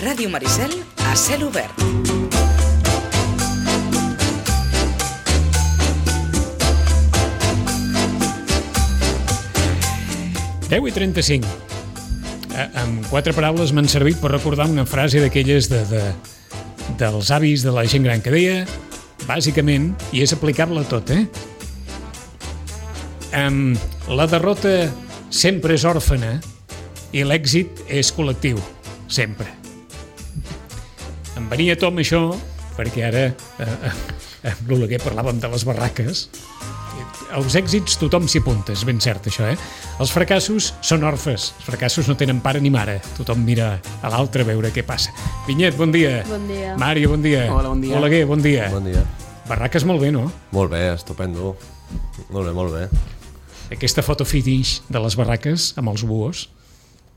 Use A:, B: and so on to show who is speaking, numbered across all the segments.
A: Ràdio Maricel a cel obert.
B: Deu i 35. Amb 4 paraules m'han servit per recordar una frase d'aquelles dels avis de la gent gran que deia, bàsicament, i és aplicable a tot, la derrota sempre és òrfana i l'èxit és col·lectiu, sempre. Em venia a tom això, perquè ara amb l'Oleguer parlàvem de les barraques. Els èxits tothom s'hi apunta, és ben cert això, Els fracassos són orfes, els fracassos no tenen pare ni mare, tothom mira a l'altre a veure què passa. Vinyet, bon dia.
C: Bon dia.
B: Màrio, bon dia.
D: Hola, bon dia.
B: Oleguer, bon dia.
D: Bon dia.
B: Barraques molt bé, no?
D: Molt bé, estupendo. Molt bé.
B: Aquesta foto finish de les barraques amb els buos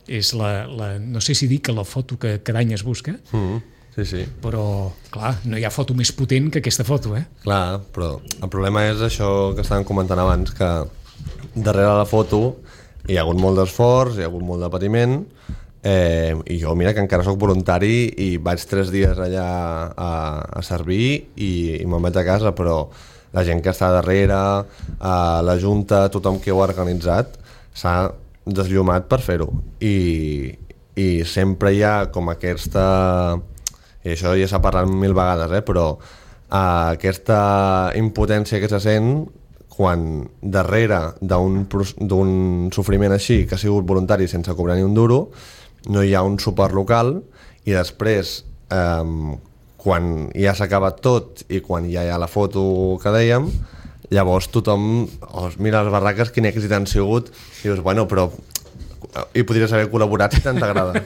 B: és no sé si dir que la foto que cada any es busca,
D: Sí.
B: però, clar, no hi ha foto més potent que aquesta foto,
D: Clar, però el problema és això que estàvem comentant abans, que darrere la foto hi ha hagut molt d'esforç, hi ha hagut molt de patiment, i jo, mira, que encara sóc voluntari i vaig 3 dies allà a servir i me'n vaig a casa, però la gent que està darrere, la Junta, tothom que ho ha organitzat, s'ha desllumat per fer-ho. I sempre hi ha com aquesta... I això ja s'ha parlat 1000 vegades, però aquesta impotència que se sent quan darrere d'un sofriment així, que ha sigut voluntari sense cobrar ni un duro, no hi ha un suport local i després, quan ja s'ha acabat tot i quan ja hi ha la foto que dèiem, llavors tothom mira les barraques, quin èxit han sigut, i dius, bueno, però hi podries haver col·laborat si tant t'agrada.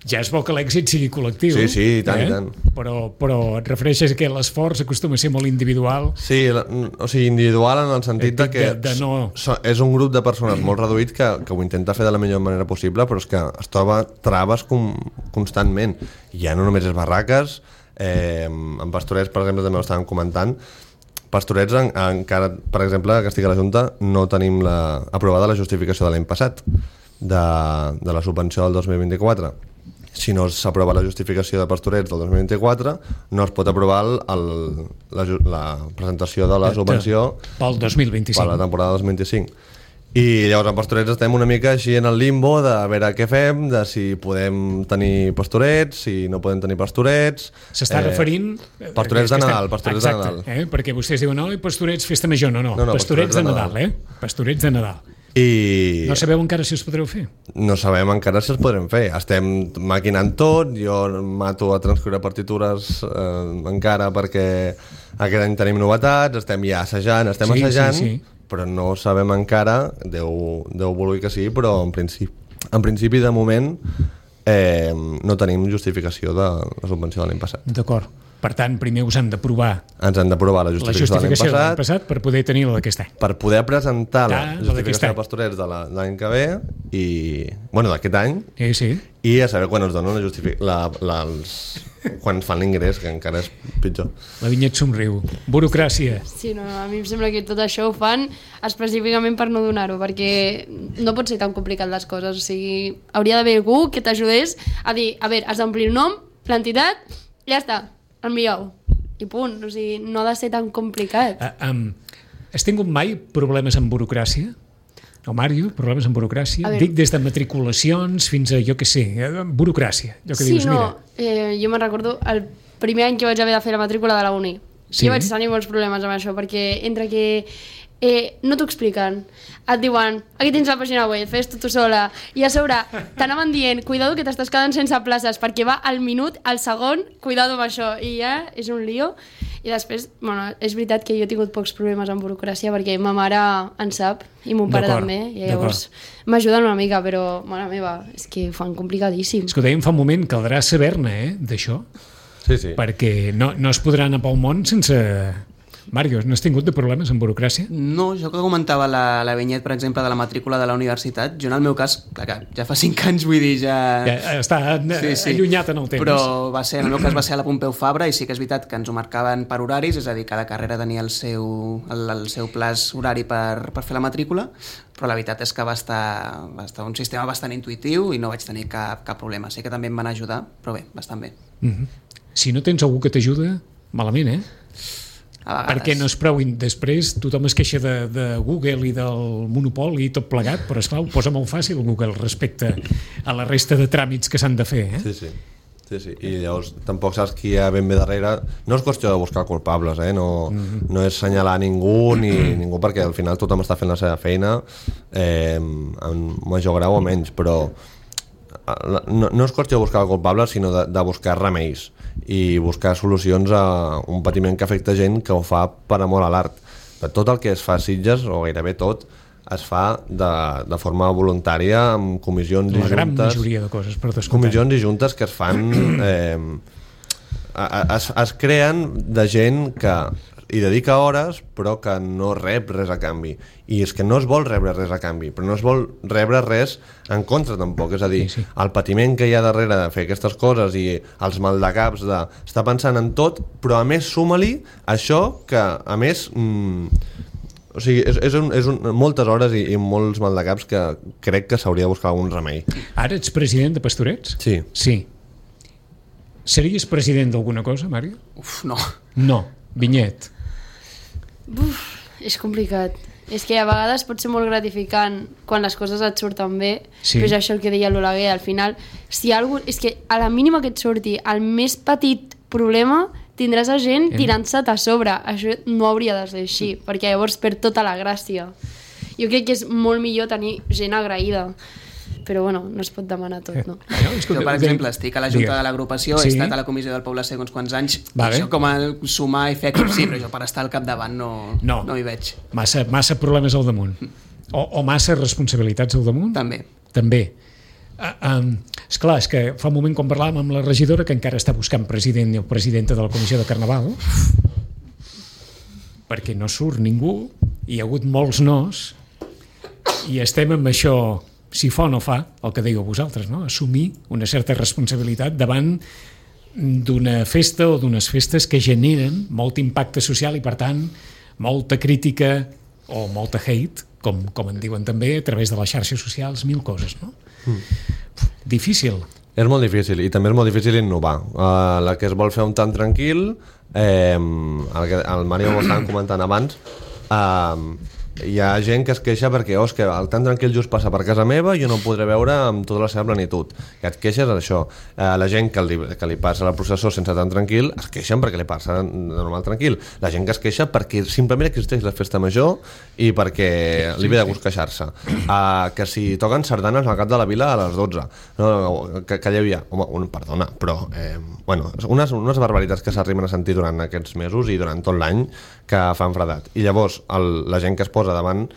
B: Ja és bo que l'èxit sigui col·lectiu.
D: Sí, i tant.
B: Però et refereixes que l'esforç acostuma a ser molt individual.
D: Sí, o sigui, individual en el sentit que és un grup de persones molt reduït que ho intenta fer de la millor manera possible, però és que es troba traves constantment. I ja no només és barraques, en Pastorets, per exemple, també ho estàvem comentant. Pastorets, encara, per exemple, que estic a la Junta, no tenim aprovada la justificació de l'any passat, de la subvenció del 2024. Si no s'aprova la justificació de Pastorets del 2024, no es pot aprovar la presentació de la subvenció
B: pel 2025.
D: per la temporada 2025. I llavors en Pastorets estem una mica així en el limbo de veure què fem, de si podem tenir Pastorets, si no podem tenir Pastorets.
B: S'està referint...
D: Pastorets de Nadal, Pastorets de Nadal.
B: Perquè vostès diuen, Pastorets, festa major. No, Pastorets de Nadal, Pastorets de Nadal.
D: I
B: no sabeu encara si els podreu fer?
D: No sabem encara si els podrem fer. Estem maquinant tot, jo mato a transcriure partitures encara perquè aquest any tenim novetats, estem ja assajant,
B: sí.
D: Però no sabem encara, Déu vulgui que sí, però en principi de moment no tenim justificació de la subvenció de l'any passat.
B: D'acord. Per tant, primer us han d'aprovar...
D: Ens han d'aprovar la justificació de l'any
B: passat per poder tenir la d'aquest any.
D: Per poder presentar la justificació de Pastorets de l'any que ve i... Bueno, d'aquest any.
B: Sí.
D: I a saber quan ens donen quan ens fan l'ingrés, que encara és pitjor.
B: La Vinyet somriu. Burocràcia.
C: Sí, no, a mi em sembla que tot això ho fan específicament per no donar-ho, perquè no pot ser tan complicat les coses. O sigui, hauria d'haver algú que t'ajudés a dir, a veure, has d'omplir el nom, l'entitat, i ja està. Envieu, i punt, o sigui, no ha de ser tan complicat.
B: Has tingut mai problemes amb burocràcia? O Màrio, problemes amb burocràcia? Dic des de matriculacions fins a, jo què sé, burocràcia.
C: Dius, mira. Jo me'n recordo el primer any que vaig haver de fer la matrícula de la uni. Sí? Jo vaig tenir molts problemes amb això, perquè entre que no t'ho expliquen, et diuen, aquí tens la pàgina web, fes tu sola, i a sobre t'anaven dient, cuidado que t'estàs quedant sense places, perquè va al minut, al segon, cuidado amb això, i ja és un lío. I després, bueno, és veritat que jo he tingut pocs problemes amb burocràcia, perquè ma mare en sap, i mon pare també, i llavors m'ajuden una mica, però, mare meva, és que ho fan complicadíssim.
B: És que ho dèiem fa un moment, caldrà saber-ne, d'això,
D: sí.
B: perquè no es podrà anar pel món sense Mario, no has tingut de problemes amb burocràcia?
E: No, jo que comentava la Vinyet, per exemple, de la matrícula de la universitat, jo en el meu cas, clar que ja fa 5 anys, vull dir, ja
B: està allunyat en el temps.
E: Però en el meu cas va ser a la Pompeu Fabra i sí que és veritat que ens ho marcaven per horaris, és a dir, cada carrera tenia el seu plaç horari per fer la matrícula, però la veritat és que va estar un sistema bastant intuïtiu i no vaig tenir cap problema. Sé que també em van ajudar, però bé, bastant bé.
B: Si no tens algú que t'ajuda, malament, perquè no és prou. Després tothom es queixa de Google i del monopoli i tot plegat, però esclar, ho posa molt fàcil Google respecte a la resta de tràmits que s'han de fer.
D: Sí. I llavors tampoc saps qui hi ha ben bé darrere. No és qüestió de buscar culpables, no és senyalar ningú perquè al final tothom està fent la seva feina en major grau o menys, però no és qüestió de buscar culpables, sinó de buscar remeis i buscar solucions a un patiment que afecta gent que ho fa per amor a l'art. Tot el que es fa a Sitges, o gairebé tot, es fa de forma voluntària amb comissions i juntes. La gran
B: majoria de coses, per descomptat.
D: Comissions i juntes que es fan... es creen de gent que hi dedica hores però que no rep res a canvi, i és que no es vol rebre res a canvi, però no es vol rebre res en contra tampoc, és a dir, el patiment que hi ha darrere de fer aquestes coses i els maldecaps d'estar pensant en tot, però a més suma-li això que a més o sigui, és moltes hores i molts maldecaps que crec que s'hauria de buscar algun remei.
B: Ara ets president de Pastorets? Sí. Series president d'alguna cosa, Mario? No. Vinyet?
C: És complicat. És que a vegades pot ser molt gratificant quan les coses et surten bé, però és això el que deia l'Oleguer, al final, és que a la mínima que et surti el més petit problema tindràs a gent tirant-se't a sobre. Això no hauria de ser així, perquè llavors perd tota la gràcia. Jo crec que és molt millor tenir gent agraïda, però bueno, no es pot demanar tot, no?
E: Jo, per exemple, estic a la Junta de l'Agrupació, he estat a la Comissió del Poble Sec uns quants anys, i això com a sumar i fer com sí, però jo per estar al capdavant no hi veig.
B: Massa problemes al damunt. O massa responsabilitats al damunt? També. Esclar, és que fa un moment quan parlàvem amb la regidora que encara està buscant president o presidenta de la Comissió de Carnaval, perquè no surt ningú, hi ha hagut molts nos, i estem amb això, si fa o no fa, el que dèieu vosaltres, no? Assumir una certa responsabilitat davant d'una festa o d'unes festes que generen molt impacte social i, per tant, molta crítica o molta hate, com en diuen també, a través de les xarxes socials, 1000 coses, no? Difícil.
D: És molt difícil, i també és molt difícil innovar. La que es vol fer un tant tranquil, el Mario ho estàvem comentant abans, hi ha gent que es queixa perquè és que el tan tranquil just passa per casa meva i jo no el podré veure amb tota la seva plenitud, que et queixes d'això. La gent que li passa la processó sense tan tranquil es queixen perquè li passa de normal tranquil. La gent que es queixa perquè simplement existeix la festa major i perquè li ve de gust queixar-se. Que si toquen sardanes al cap de la vila a les 12, que hi havia, perdona, però unes barbaritats que s'arriben a sentir durant aquests mesos i durant tot l'any que fan fredat. I llavors la gent que es posa davant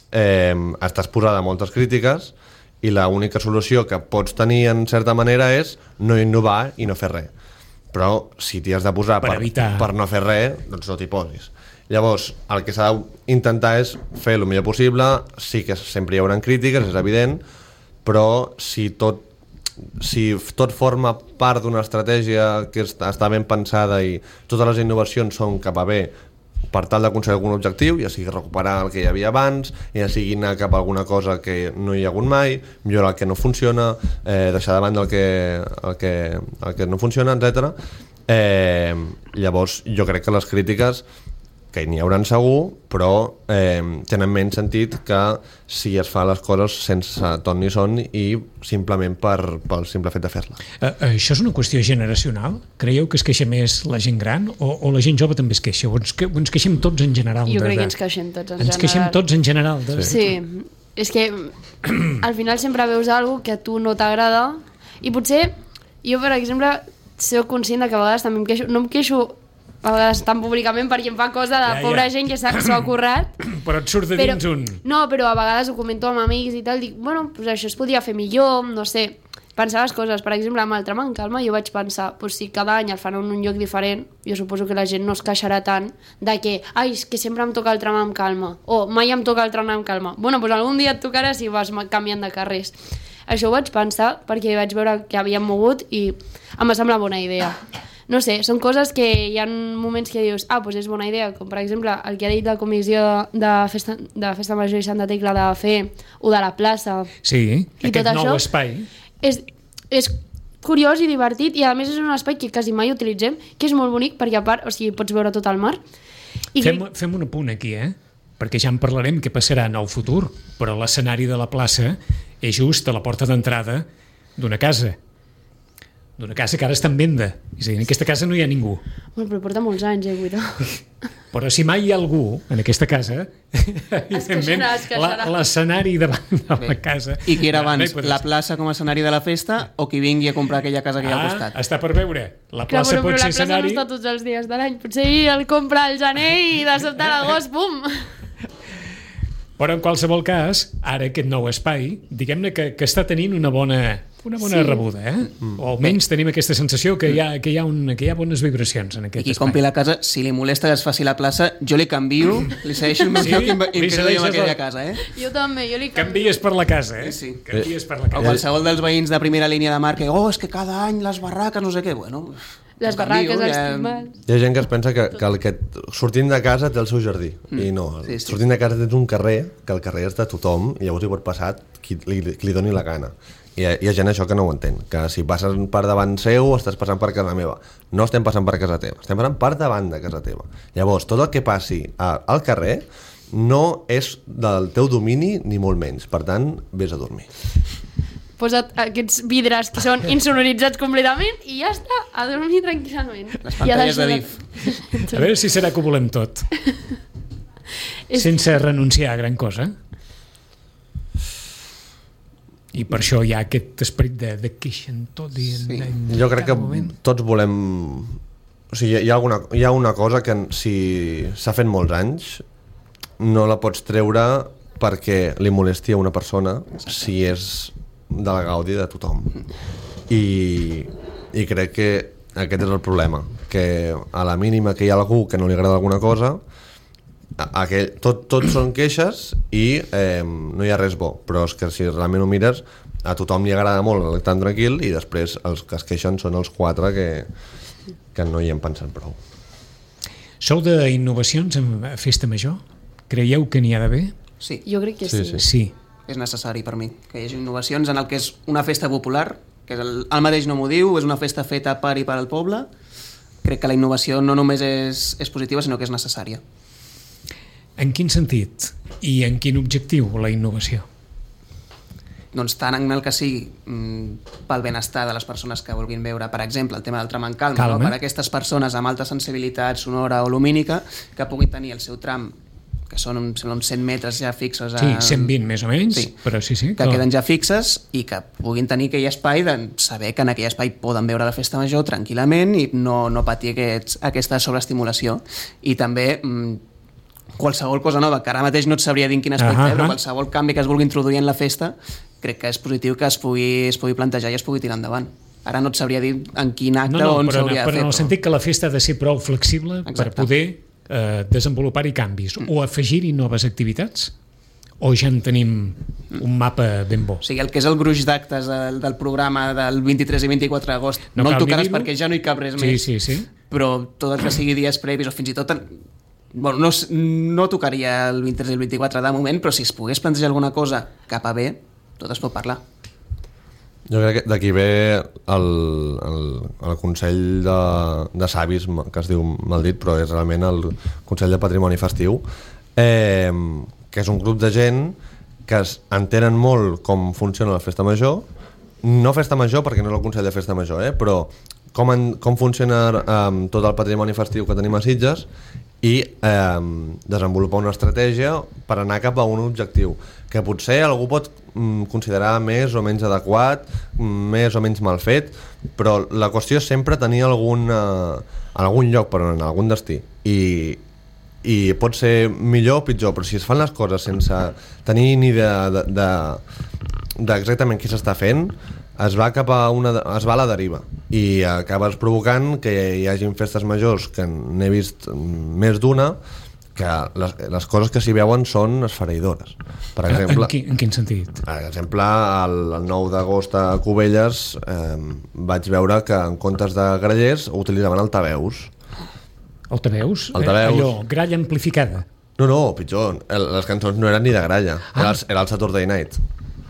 D: estàs posada a moltes crítiques i l'única solució que pots tenir en certa manera és no innovar i no fer res, però si t'hi has de posar per no fer res, doncs no t'hi posis. Llavors el que s'ha d'intentar és fer el millor possible. Sí que sempre hi haurà crítiques, és evident, però si tot forma part d'una estratègia que està ben pensada i totes les innovacions són cap a bé per tal d'aconseguir algun objectiu, ja sigui recuperar el que hi havia abans, ja sigui anar cap a alguna cosa que no hi ha hagut mai, millorar el que no funciona, deixar de banda el que no funciona, etc. Llavors jo crec que les crítiques, que n'hi hauran segur, però tenen menys sentit que si es fa les coses sense ton ni son i simplement pel simple fet de fer-la.
B: Això és una qüestió generacional? Creieu que es queixa més la gent gran o la gent jove també es queixa? O ens queixem tots en general?
C: Jo crec que ens queixem tots en general.
B: Ens queixem tots en general?
C: Sí, és que al final sempre veus alguna que a tu no t'agrada i potser jo, per exemple, soc conscient que a vegades també em queixo, no em queixo a vegades tan públicament perquè em fa cosa de pobra gent que s'ho ha currat,
B: però et surt de dins un...
C: No, però a vegades ho comento amb amics i tal, dic, bueno, pues això es podria fer millor, no sé, pensar les coses. Per exemple, amb el tram en calma jo vaig pensar, doncs si cada any el fan en un lloc diferent, jo suposo que la gent no es queixarà tant de que, ai, és que sempre em toca el tram en calma, o mai em toca el tram en calma. Bueno, doncs algun dia et tocarà si vas canviant de carrers. Això ho vaig pensar perquè vaig veure que havíem mogut i em va semblar bona idea. No sé, són coses que hi ha moments que dius, doncs és bona idea, com per exemple el que ha dit la comissió de Festa Major i Santa Tecla de fer o de la plaça.
B: Sí,
C: i
B: aquest
C: tot
B: nou
C: això
B: espai.
C: És curiós i divertit i a més és un espai que quasi mai utilitzem, que és molt bonic perquè a part, o sigui, pots veure tot el mar. I
B: Fem un apunt aquí, perquè ja en parlarem què passarà en el futur, però l'escenari de la plaça és just a la porta d'entrada d'una casa que ara està en venda. És a dir, en aquesta casa no hi ha ningú.
C: Bueno, però porta molts anys, Guido.
B: Però si mai hi ha algú en aquesta casa, evidentment, l'escenari davant de la casa...
E: I qui era abans, la plaça com a escenari de la festa o qui vingui a comprar aquella casa que hi ha al costat?
B: Està per veure. La plaça pot ser escenari...
C: Però la plaça no està tots els dies de l'any. Potser el compra al gener i de sobte a l'agost, pum!
B: Però en qualsevol cas, ara aquest nou espai, diguem-ne que està tenint una bona rebuda, o almenys tenim aquesta sensació que hi ha bones vibracions en aquest espai.
E: I qui compri la casa, si li molesta que es faci la plaça, jo li canvio, li segueixo el meu lloc i em quedo jo amb aquella casa.
C: Jo també, jo li canvio.
B: Canvies per la casa,
E: Sí.
B: Canvies per la casa.
E: O qualsevol dels veïns de primera línia de mar que, és que cada any les barraques, no sé què, bueno...
C: Les barraques, els timbals...
D: Hi ha gent que es pensa que sortint de casa té el seu jardí, i no, sortint de casa tens un carrer, que el carrer és de tothom, i llavors hi pot passar qui li doni la gana. Hi ha gent això que no ho entén, que si passes per davant seu estàs passant per casa meva. No estem passant per casa teva, estem passant per davant de casa teva. Llavors, tot el que passi al carrer no és del teu domini ni molt menys, per tant, vés a dormir.
C: Posa't aquests vidres que són insonoritzats completament i ja està, a dormir tranquil·lament.
E: Les pantalles de DIF.
B: A veure si serà que ho volem tot. Sense renunciar a gran cosa. I per això hi ha aquest esperit de queixen tot i
D: jo crec que tots volem... O sigui, hi ha una cosa que si s'ha fet molts anys no la pots treure perquè li molesti a una persona si és de la gaudi de tothom. I crec que aquest és el problema, que a la mínima que hi ha algú que no li agrada alguna cosa, tot són queixes i no hi ha res bo, però és que si realment ho mires, a tothom li agrada molt tan tranquil i després els que es queixen són els 4 que no hi hem pensat prou.
B: Sou d'innovacions en Festa Major? Creieu que n'hi ha d'haver?
E: Sí.
C: Jo crec que sí.
B: Sí.
E: És necessari per mi que hi hagi innovacions en el que és una festa popular, que és el mateix nom ho diu, és una festa feta per i per al poble. Crec que la innovació no només és positiva, sinó que és necessària.
B: En quin sentit i en quin objectiu la innovació?
E: Doncs tant en el que sigui pel benestar de les persones que vulguin veure, per exemple, el tema del tram en calma. No? Per a aquestes persones amb alta sensibilitat sonora o lumínica que puguin tenir el seu tram, que són uns 100 metres ja fixos.
B: Sí, 120 més o menys, però sí.
E: Que queden ja fixes i que puguin tenir aquell espai de saber que en aquell espai poden veure la Festa Major tranquil·lament i no patir aquesta sobreestimulació. I també qualsevol cosa nova, que ara mateix no et sabria dir en quin aspecte, però qualsevol canvi que es vulgui introduir en la festa, crec que és positiu que es pugui plantejar i es pugui tirar endavant. Ara no et sabria dir en quin acte o on s'hauria de fer.
B: Però en el sentit que la festa ha de ser prou flexible per poder desenvolupar-hi canvis o afegir-hi noves activitats, o ja en tenim un mapa ben bo?
E: O sigui, el que és el gruix d'actes del programa del 23 i 24 d'agost no el tocaràs perquè ja no hi cap res més, però tot el que sigui dies previs o fins i tot no tocaria el 23 i el 24 de moment, però si es pogués plantejar alguna cosa cap a bé, tot es pot parlar.
D: Jo crec que d'aquí ve el Consell de Savis, que es diu mal dit, però és realment el Consell de Patrimoni Festiu, que és un grup de gent que entenen molt com funciona la Festa Major, no Festa Major perquè no és el Consell de Festa Major, però com funciona tot el patrimoni festiu que tenim a Sitges i desenvolupar una estratègia per anar cap a un objectiu que potser algú pot considerar més o menys adequat, més o menys mal fet, però la qüestió és sempre tenir algun lloc per anar, algun destí, i pot ser millor o pitjor, però si es fan les coses sense tenir ni idea d'exactament què s'està fent, es va a la deriva i acabes provocant que hi hagin festes majors, que n'he vist més d'una, que les coses que s'hi veuen són esfereïdores. Per exemple,
B: en quin sentit?
D: Per exemple, el 9 d'agost a Cubelles vaig veure que en comptes de grallers utilitzaven altaveus.
B: Altaveus? Allò, gralla amplificada.
D: No, pitjor. Les cançons no eren ni de gralla. Era el Saturday Night.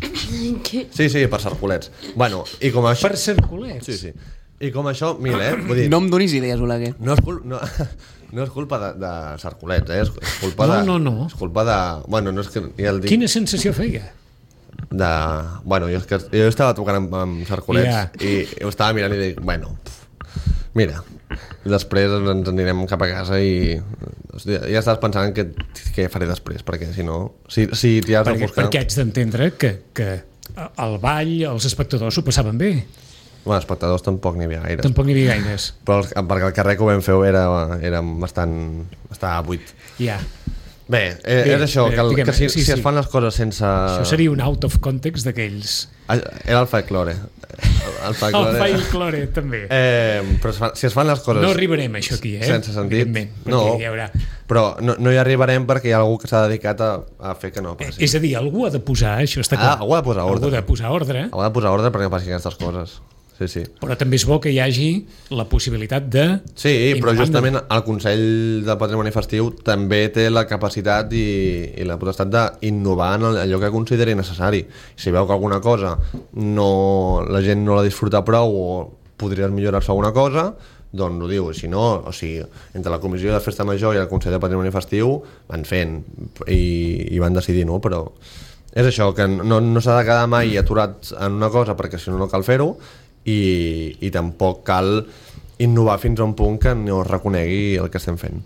D: Sí, per Sarcolets. Bueno, i com això...
B: Per Sarcolets?
D: Sí. I com això, vull dir...
E: No em donis idees, Oleguer.
D: No és culpa de Sarcolets, és culpa de...
B: No.
D: És culpa de... Bueno, no és que... Ja el dic...
B: Quina sensació feia?
D: Bueno, jo estava tocant amb Sarcolets i ho estava mirant i dic, mira, després ens anirem cap a casa i ja estàs pensant què faré després, perquè si no, si t'hi has de buscar...
B: Perquè haig d'entendre que al ball els espectadors s'ho passaven bé.
D: Bueno, espectadors tampoc n'hi havia gaires. Però perquè el carrer que ho vam fer era bastant... estava buit.
B: Ja.
D: Bé, és això, que si es fan les coses sense...
B: Això seria un out of context d'aquells...
D: Era el folklore.
B: El folklore, també.
D: Però si es fan les coses...
B: No arribarem a això aquí,
D: sense sentit.
B: No,
D: però no hi arribarem perquè hi ha algú que s'ha dedicat a fer que no passi.
B: És a dir, algú ha de posar, això està clar.
D: Algú ha de posar ordre.
B: Algú ha de posar ordre.
D: Algú ha de posar ordre perquè passin aquestes coses. Sí.
B: Però també és bo que hi hagi la possibilitat de...
D: Sí, però justament el Consell de Patrimoni Festiu també té la capacitat i la potestat d'innovar en allò que consideri necessari. Si veu que alguna cosa la gent no la disfruta prou o podries millorar-se alguna cosa, doncs ho diu. Si no, entre la Comissió de Festa Major i el Consell de Patrimoni Festiu van fent i van decidir, no? Però és això, que no s'ha de quedar mai aturat en una cosa perquè si no cal fer-ho, i tampoc cal innovar fins a un punt que no es reconegui el que estem fent.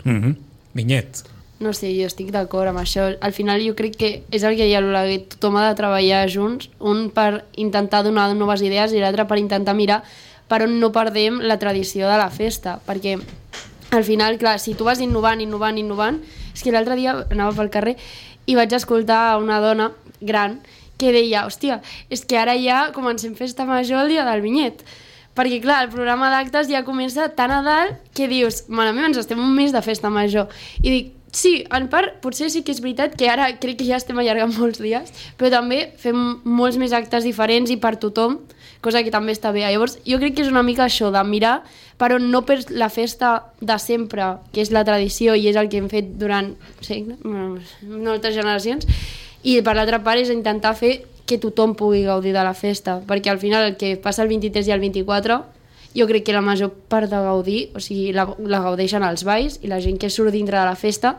B: Vinyet.
C: No sé, jo estic d'acord amb això. Al final jo crec que és el que deia l'Oleguer, tothom ha de treballar junts, un per intentar donar noves idees i l'altre per intentar mirar per on no perdem la tradició de la festa, perquè al final, clar, si tu vas innovant, és que l'altre dia anava pel carrer i vaig escoltar una dona gran que deia, hòstia, és que ara ja comencem festa major el dia del Vinyet, perquè clar, el programa d'actes ja comença tan a dalt que dius, mare meva, ens estem un mes de festa major, i dic, sí, en part, potser sí que és veritat que ara crec que ja estem allargant molts dies, però també fem molts més actes diferents i per tothom, cosa que també està bé. Llavors, jo crec que és una mica això, de mirar per on no perds la festa de sempre, que és la tradició i és el que hem fet durant moltes generacions, i per l'altra part és intentar fer que tothom pugui gaudir de la festa, perquè al final el que passa el 23 i el 24 jo crec que la major part de gaudir, o sigui, la gaudeixen els balls i la gent que surt dintre de la festa,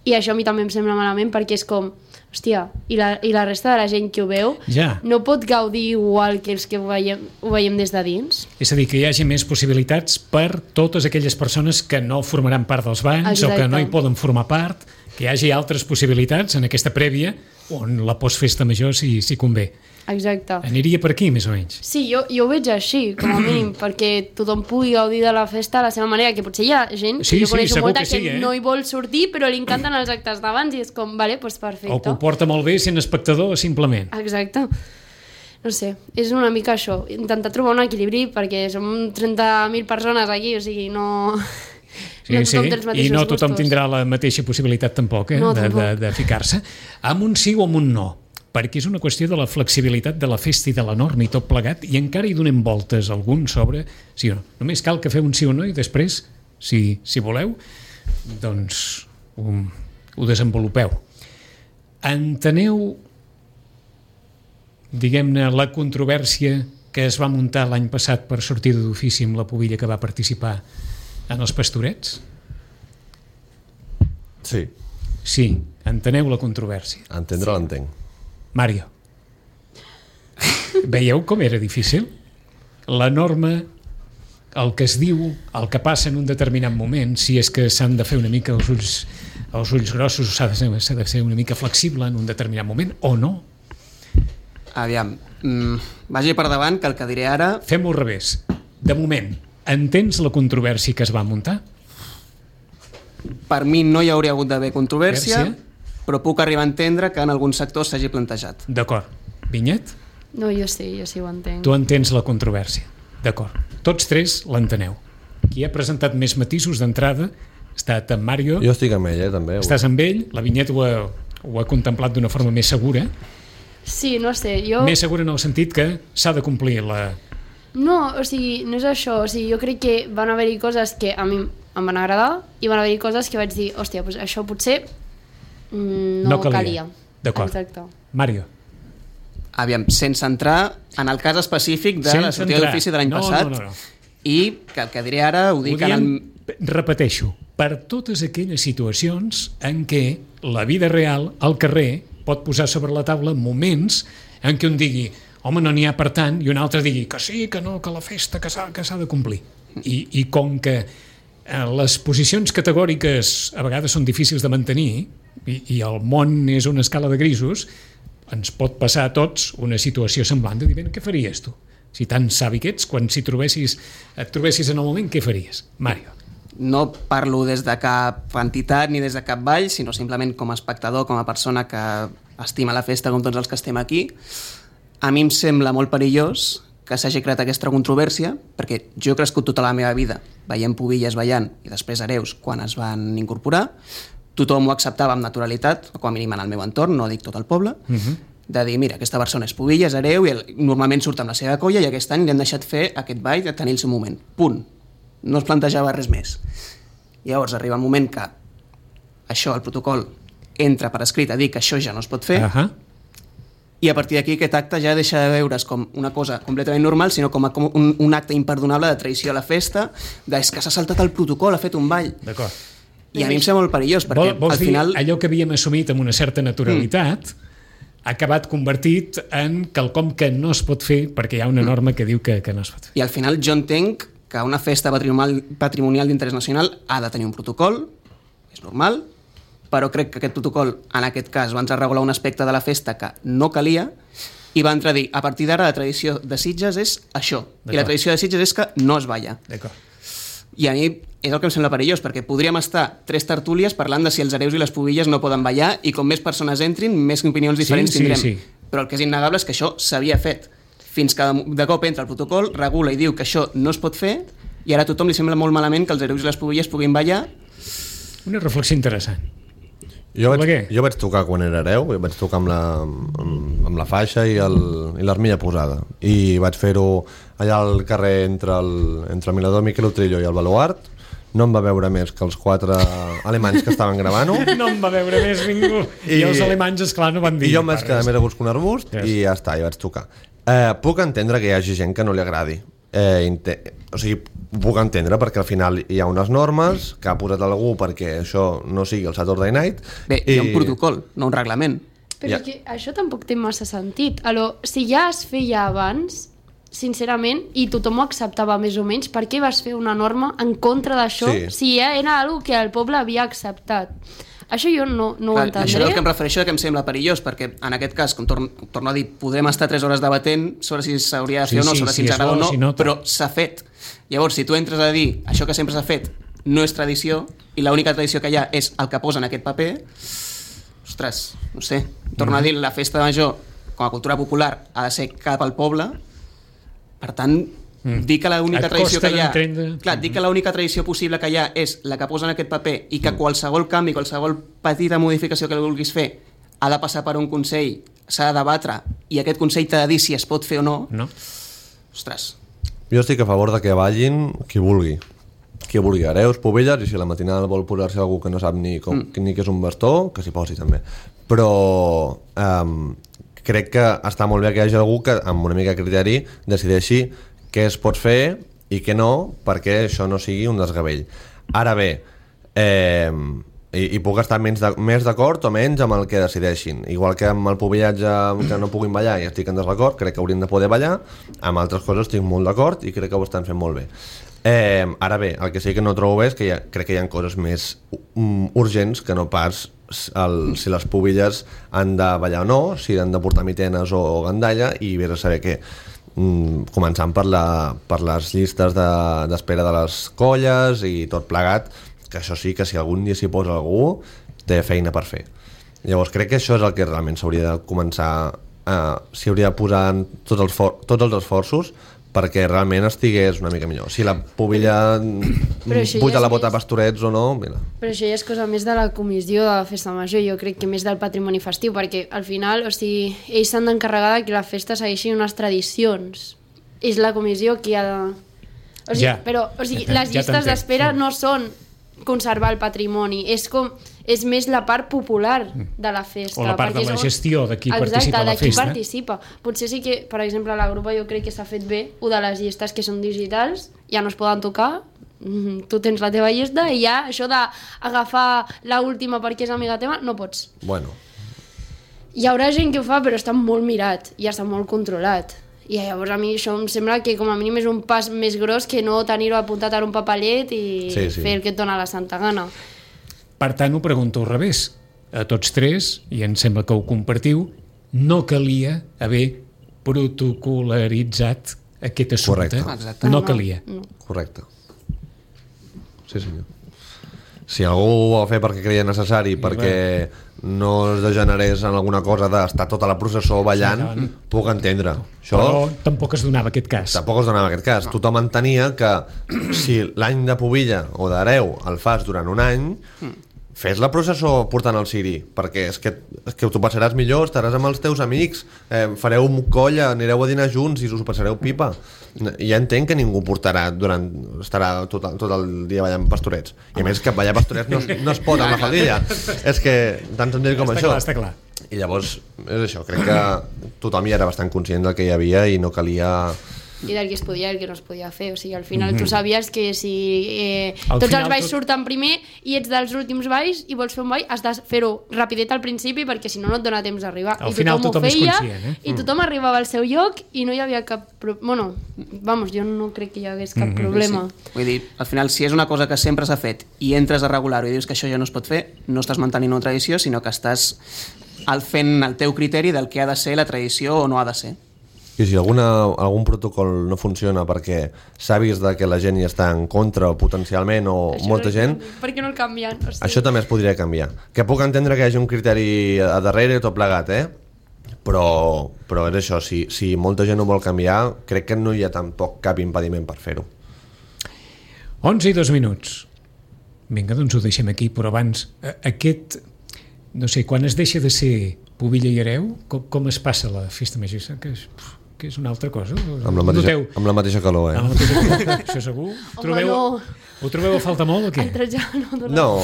C: i això a mi també em sembla malament perquè és com, hòstia, i la resta de la gent que ho veu no pot gaudir igual que els que ho veiem des de dins.
B: És a dir, que hi hagi més possibilitats per totes aquelles persones que no formaran part dels balls o que no hi poden formar part, que hi hagi altres possibilitats en aquesta prèvia on la postfesta major si convé.
C: Exacte.
B: Aniria per aquí, més o menys.
C: Sí, jo ho veig així, com a mínim, perquè tothom pugui gaudir de la festa a la seva manera, que potser hi ha gent, jo coneixo molta que no hi vol sortir, però li encanten els actes d'abans i és com, vale, doncs perfecte.
B: O que ho porta molt bé sent espectador, simplement.
C: Exacte. No sé, és una mica això, intentar trobar un equilibri, perquè som 30.000 persones aquí, o sigui, no...
B: Sí, i no tothom tindrà la mateixa possibilitat tampoc, de ficar-se amb un sí o amb un no, perquè és una qüestió de la flexibilitat de la festa i de la norma i tot plegat, i encara hi donem voltes alguns sobre sí o no. Només cal que feu un sí o no i després, si voleu, doncs ho desenvolupeu. Enteneu, diguem-ne, la controvèrsia que es va muntar l'any passat per sortida d'ofici amb la pubilla que va participar en els Pastorets?
D: Sí.
B: Sí, enteneu la controvèrsia.
D: Entendre l'entenc.
B: Mario. Veieu com era difícil? La norma, el que es diu, el que passa en un determinat moment, si és que s'han de fer una mica els ulls grossos, s'ha de ser una mica flexible en un determinat moment, o no?
E: Aviam, vagi per davant, que el que diré ara...
B: Fem-ho al revés. De moment, entens la controvèrsia que es va muntar?
E: Per mi no hi hauria hagut d'haver controvèrsia, però puc arribar a entendre que en alguns sectors s'hagi plantejat.
B: D'acord. Vinyet?
C: No, jo sí ho entenc.
B: Tu entens la controvèrsia, d'acord. Tots tres l'enteneu. Qui ha presentat més matisos d'entrada ha estat en Mario.
D: Jo estic amb ell, també.
B: Estàs amb ell, la Vinyet ho ha contemplat d'una forma més segura.
C: Sí, no sé, jo...
B: Més segura en el sentit que s'ha de complir la...
C: No, o sigui, no és això. O sigui, jo crec que van haver-hi coses que a mi em van agradar i van haver-hi coses que vaig dir, hòstia, doncs això potser no calia.
B: D'acord.
C: Exacte.
B: Mario.
E: Aviam, sense entrar en el cas específic de la sortida d'ofici de l'any passat.
B: No.
E: I que el que diré ara ho dic
B: repeteixo, per totes aquelles situacions en què la vida real, al carrer, pot posar sobre la taula moments en què un digui, home, no n'hi ha per tant, i un altre digui que sí, que no, que la festa que s'ha de complir. I com que les posicions categòriques a vegades són difícils de mantenir i el món és una escala de grisos, ens pot passar a tots una situació semblant de dir, què faries tu? Si tan savi que ets, quan et trobessis en el moment, què faries? Mario.
E: No parlo des de cap entitat ni des de cap ball, sinó simplement com a espectador, com a persona que estima la festa com tots els que estem aquí. A mi em sembla molt perillós que s'hagi creat aquesta controvèrsia, perquè jo he crescut tota la meva vida veient pubilles ballant i després hereus quan es van incorporar. Tothom ho acceptava amb naturalitat, com a mínim en el meu entorn, no dic tot el poble, de dir, mira, aquesta persona és pubilla, és hereu, i normalment surt amb la seva colla i aquest any li han deixat fer aquest ball de tenir el seu moment. Punt. No es plantejava res més. Llavors arriba el moment que això, el protocol, entra per escrit a dir que això ja no es pot fer, i a partir d'aquí aquest acte ja deixa de veure's com una cosa completament normal, sinó com un acte imperdonable de traïció a la festa, és que s'ha saltat el protocol, ha fet un ball.
B: D'acord.
E: I a mi em sembla molt perillós, perquè
B: Vols
E: al final...
B: dir, allò que havíem assumit amb una certa naturalitat ha acabat convertit en quelcom que no es pot fer perquè hi ha una norma que diu que no es pot fer.
E: I al final jo entenc que una festa patrimonial d'interès nacional ha de tenir un protocol, és normal, però crec que aquest protocol, en aquest cas, va entrar a regular un aspecte de la festa que no calia i va entrar a dir, a partir d'ara la tradició de Sitges és això, i la tradició de Sitges és que no es balla.
B: D'acord.
E: I a mi és el que em sembla perillós, perquè podríem estar 3 tertúlies parlant de si els hereus i les pubilles no poden ballar i com més persones entrin, més opinions diferents tindrem.
B: Sí.
E: Però el que és innegable és que això s'havia fet. Fins que de cop entra el protocol, regula i diu que això no es pot fer, i ara a tothom li sembla molt malament que els hereus i les pubilles puguin ballar.
B: Una reflexió interessant.
D: Jo vaig tocar quan era hereu, vaig tocar amb la faixa i l'armilla posada, i vaig fer-ho allà al carrer entre el Mirador Miquel Utrillo i el Baluart. No em va veure més que els 4 alemanys que estaven gravant-ho.
B: No em va veure més ningú. I els alemanys, esclar, no van dir.
D: I jo em vaig quedar més a gust que un arbust, i ja està, i vaig tocar. Puc entendre que hi hagi gent que no li agradi. O sigui, puc entendre perquè al final hi ha unes normes que ha posat algú perquè això no sigui el Saturday Night.
E: Bé, hi ha un protocol, no un reglament.
C: Però que això tampoc té massa sentit. Si ja es feia abans, sincerament, i tothom ho acceptava més o menys, per què vas fer una norma en contra d'això si ja era una que el poble havia acceptat? Això jo no ho entendré.
E: Això és el que em refereixo que em sembla perillós, perquè en aquest cas, com torno a dir, podrem estar 3 hores debatent sobre si s'hauria de fer o no, sobre si ens agrada o no, però s'ha fet. Llavors, si tu entres a dir això que sempre s'ha fet no és tradició, i l'única tradició que hi ha és el que posa en aquest paper, ostres, no sé, torno a dir, la festa major, com a cultura popular, ha de ser cap al poble, per tant, dir que l'única tradició que hi ha... Clar, dir que l'única tradició possible que hi ha és la que posa en aquest paper i que qualsevol canvi, qualsevol petita modificació que vulguis fer ha de passar per un consell, s'ha de debatre i aquest consell t'ha de dir si es pot fer o no. Ostres.
D: Jo estic a favor de que ballin qui vulgui. Qui vulgui, hereus, pubelles, i si a la matinada vol posar-se algú que no sap ni què és un bastó, que s'hi posi també. Però crec que està molt bé que hi hagi algú que amb una mica de criteri decideixi què es pot fer i què no, perquè això no sigui un desgavell. Ara bé, i puc estar més d'acord o menys amb el que decideixin. Igual que amb el pubillatge que no puguin ballar i estic en desacord, crec que haurien de poder ballar. Amb altres coses estic molt d'acord i crec que ho estan fent molt bé. Ara bé, el que sí que no trobo bé és que crec que hi ha coses més urgents que no pas si les pubilles han de ballar o no, si han de portar mitenes o gandalla, i vés a saber què. Començant per les llistes d'espera de les colles i tot plegat, que això sí que si algun dia s'hi posa algú té feina per fer. Llavors crec que això és el que realment s'hauria de començar s'hi hauria de posar tots els esforços perquè realment estigués una mica millor. Si la pubilla puja la bota a Pastorets o no, mira.
C: Però això ja és cosa més de la comissió de la festa major, jo crec que més del patrimoni festiu, perquè al final, o sigui, ells s'han d'encarregar que la festa segueixi unes tradicions. És la comissió qui ha de... O sigui, les llistes d'espera no són conservar el patrimoni, és més la part popular de la festa.
B: O la part de la gestió de qui participa a la festa.
C: Exacte, de qui participa. Potser sí que, per exemple, a la grupa jo crec que s'ha fet bé una de les llistes que són digitals, ja no es poden tocar, tu tens la teva llista i ja això d'agafar l'última perquè és amiga teva, no pots.
D: Bueno.
C: Hi haurà gent que ho fa, però està molt mirat i està molt controlat. I llavors a mi això em sembla que com a mínim és un pas més gros que no tenir-ho apuntat en un papellet i fer el que et dona la santa gana.
B: Per tant, ho pregunto al revés. A tots tres, i em sembla que ho compartiu, no calia haver protocolaritzat aquest assumpte.
D: Correcte.
B: No calia.
C: No.
D: Correcte. Sí, senyor. Si algú ho va fer perquè creia necessari, perquè no es degenerés en alguna cosa d'estar tota la processó ballant, puc entendre. Això,
B: però tampoc es donava aquest cas.
D: Tampoc es donava aquest cas. Tothom entenia que si l'any de pubilla o d'hereu el fas durant un any, fes la processó portant el ciri, perquè és que t'ho passaràs millor, estaràs amb els teus amics, fareu un colla, anireu a dinar junts i us ho passareu pipa. Ja entenc que ningú estarà tot el dia ballant pastorets. I a més que ballar pastorets no es pot amb la faldilla. És que tan senzill com això.
B: Està clar.
D: I llavors, és això, crec que tothom ja era bastant conscient del que hi havia i no calia...
C: I del que es podia i el que no es podia fer. O sigui, al final tu sabies que si tots els balls surten primer i ets dels últims balls i vols fer un ball, has de fer-ho rapidet al principi perquè si no no et dona temps d'arribar.
B: Al final tothom és conscient,
C: i tothom arribava al seu lloc i no hi havia cap... Bueno, vamos, jo no crec que hi hagués cap problema.
E: Sí. Vull dir, al final, si és una cosa que sempre s'ha fet i entres a regular-ho i dius que això ja no es pot fer, no estàs mantenint una tradició, sinó que estàs fent el teu criteri del que ha de ser la tradició o no ha de ser.
D: I si algun protocol no funciona perquè s'ha vist que la gent hi està en contra potencialment o això molta gent...
C: Per què no el canvien? Hosti.
D: Això també es podria canviar. Que puc entendre que hi hagi un criteri a darrere tot plegat, però és això, si molta gent ho vol canviar, crec que no hi ha tampoc cap impediment per fer-ho.
B: 11 i 2 minuts. Vinga, doncs ho deixem aquí, però abans, aquest... No sé, quan es deixa de ser pubilla i hereu, com es passa la festa major? Que és una altra cosa.
D: Amb la mateixa calor,
B: Amb la mateixa calor, això segur. Ho trobeu a falta molt o què?
D: No.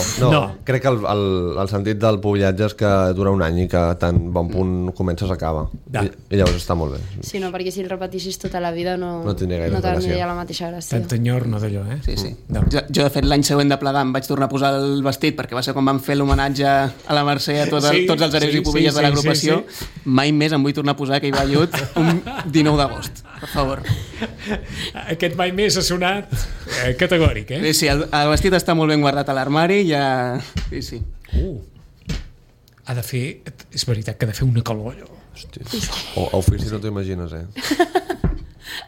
D: Crec que el sentit del pubillatge és que dura un any i que tan bon punt comença s'acaba. I llavors està molt bé.
C: Sí, no, perquè si el repetissis tota la vida no
D: tindria gaire
C: tindria la mateixa gràcia.
B: Tant enyor, no d'allò,
E: Sí. Jo, de fet, l'any següent de plegar em vaig tornar a posar el vestit perquè va ser quan vam fer l'homenatge a la Mercè a tots els hereus i pubilles de l'agrupació. Mai més em vull tornar a posar aquell vellut un 19 d'agost, per favor.
B: Aquest mai més ha sonat categòric,
E: Sí, el vestit està molt ben guardat a l'armari, ja... Sí.
B: Ha de fer... És veritat que ha de fer una calor, allò.
D: Hòstia. A ofici no t'ho imagines,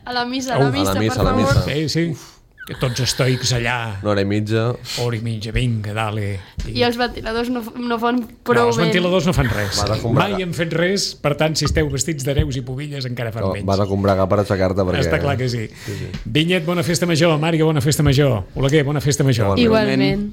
C: A la missa, per favor.
B: Sí. Que tots estoics allà.
D: Una hora i mitja,
B: vinga, dale.
C: I els ventiladors no fan prou
B: bé. Els ventiladors no fan res.
D: Mai
B: han fet res, per tant, si esteu vestits d'hereus i pubilles encara fan menys.
D: Vas a combregar per aixecar-te perquè...
B: Està clar que sí. Vinyet, bona festa major. Màriga, bona festa major. Oleguer, bona festa major.
C: Igualment.